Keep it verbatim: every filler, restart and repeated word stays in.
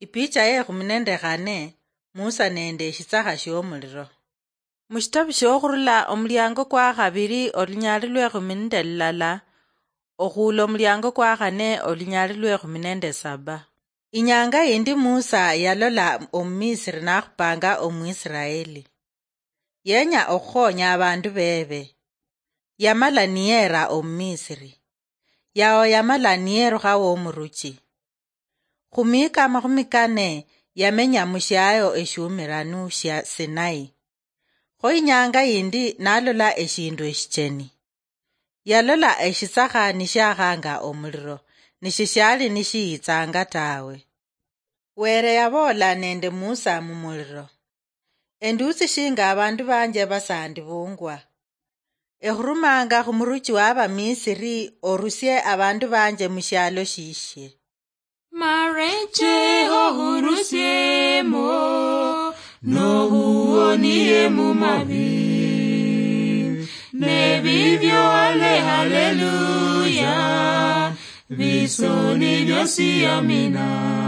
Ipicha ye khumi nende khane, Musa nende eshitsakha shiomuliro. Mushitabu shiokhurula omuliango kwa khabiri olunyali lwe khumi nende lulala, okhuula omuliango kwa khane olunyali lwe khumi nende saba. Inyanga yindi Musa yalola Omumisiri nakhupanga Omwisiraeli. Yenya okhukhonya abandu bebe. Yamala niyera Omumisiri. Yao yamala niyerukha womuruchi. Khumiika amakhumi kane yamenya mushiayo eshiumiranu shia Sinai. Kho inyanga yindi nalola eshindu eshicheni. Yalola eshitsakha nishiakhanga omuliro, nishishali nishiyitsanga tawe. Were yaboola nende Musa mumuliro, "Endusi shinga abandu banje basandibungwa. Ekhurumanga khumuruchi wa Abamisiri, orusie abandu banje mushialo shishie." Mareche ohurusiemo, nohuonie mumabi. Nebibyo ale haleluya, bisoni byosi amina.